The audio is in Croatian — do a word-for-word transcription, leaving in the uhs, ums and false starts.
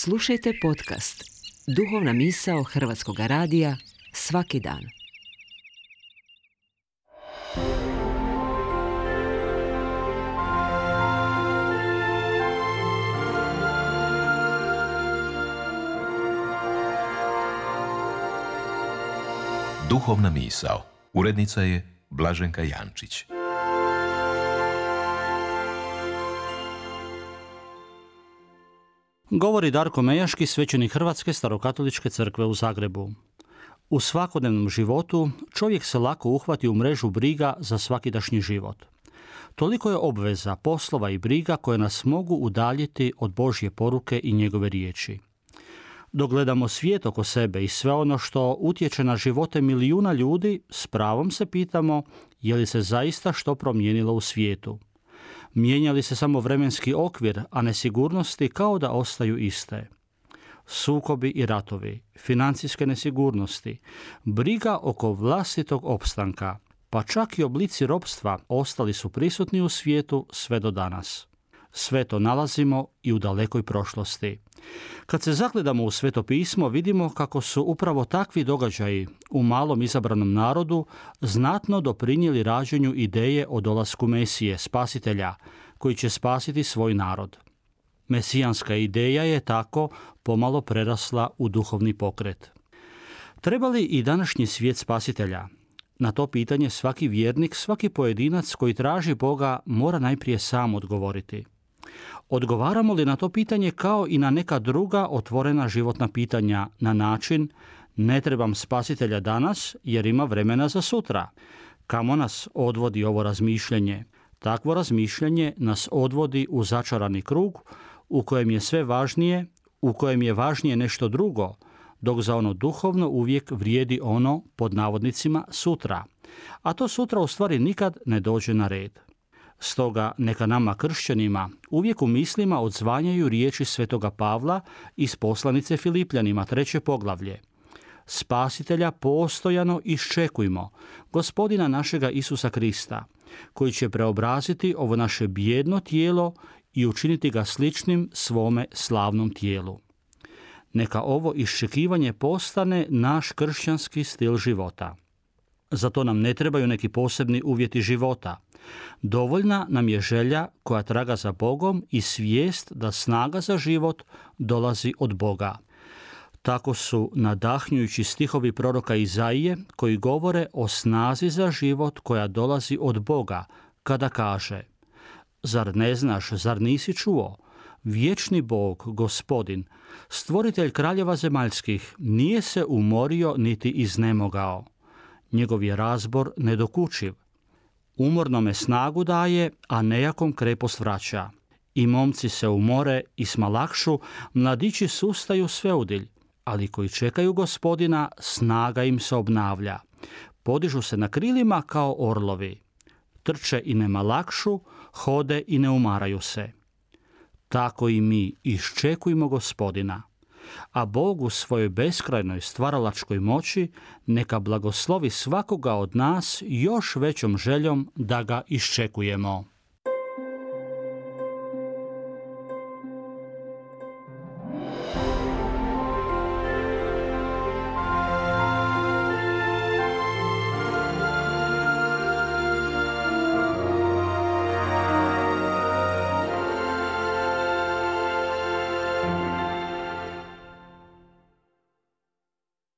Slušajte podcast Duhovna misao Hrvatskog radija svaki dan. Duhovna misao. Urednica je Blaženka Jančić. Govori Darko Mejaški, svećenik Hrvatske starokatoličke crkve u Zagrebu. U svakodnevnom životu čovjek se lako uhvati u mrežu briga za svakidašnji život. Toliko je obveza, poslova i briga koje nas mogu udaljiti od Božje poruke i njegove riječi. Dok gledamo svijet oko sebe i sve ono što utječe na živote milijuna ljudi, s pravom se pitamo je li se zaista što promijenilo u svijetu. Mijenja li se samo vremenski okvir, a nesigurnosti kao da ostaju iste. Sukobi i ratovi, financijske nesigurnosti, briga oko vlastitog opstanka, pa čak i oblici ropstva ostali su prisutni u svijetu sve do danas. Sve to nalazimo i u dalekoj prošlosti. Kad se zagledamo u Sveto pismo, vidimo kako su upravo takvi događaji u malom izabranom narodu znatno doprinijeli rađenju ideje o dolasku Mesije, spasitelja, koji će spasiti svoj narod. Mesijanska ideja je tako pomalo prerasla u duhovni pokret. Treba li i današnji svijet spasitelja? Na to pitanje svaki vjernik, svaki pojedinac koji traži Boga mora najprije sam odgovoriti. Odgovaramo li na to pitanje kao i na neka druga otvorena životna pitanja na način ne trebam spasitelja danas jer ima vremena za sutra? Kamo nas odvodi ovo razmišljanje? Takvo razmišljanje nas odvodi u začarani krug u kojem je sve važnije, u kojem je važnije nešto drugo, dok za ono duhovno uvijek vrijedi ono, pod navodnicima, sutra. A to sutra u stvari nikad ne dođe na red. Stoga neka nama kršćanima uvijek u mislima odzvanjaju riječi svetoga Pavla iz poslanice Filipljanima, treće poglavlje. Spasitelja postojano iščekujmo, Gospodina našega Isusa Krista, koji će preobraziti ovo naše bijedno tijelo i učiniti ga sličnim svome slavnom tijelu. Neka ovo iščekivanje postane naš kršćanski stil života. Zato nam ne trebaju neki posebni uvjeti života. Dovoljna nam je želja koja traga za Bogom i svijest da snaga za život dolazi od Boga. Tako su nadahnjujući stihovi proroka Izaije koji govore o snazi za život koja dolazi od Boga, kada kaže: Zar ne znaš, zar nisi čuo? Vječni Bog, Gospodin, stvoritelj kraljeva zemaljskih, nije se umorio niti iznemogao. Njegov je razbor nedokučiv. Umornome snagu daje, a nejakom krepost vraća. I momci se umore i smalakšu, mladići sustaju sveudilj, ali koji čekaju Gospodina, snaga im se obnavlja. Podižu se na krilima kao orlovi. Trče i ne malakšu, hode i ne umaraju se. Tako i mi iščekujmo Gospodina. A Bog u svojoj beskrajnoj stvaralačkoj moći neka blagoslovi svakoga od nas još većom željom da ga iščekujemo.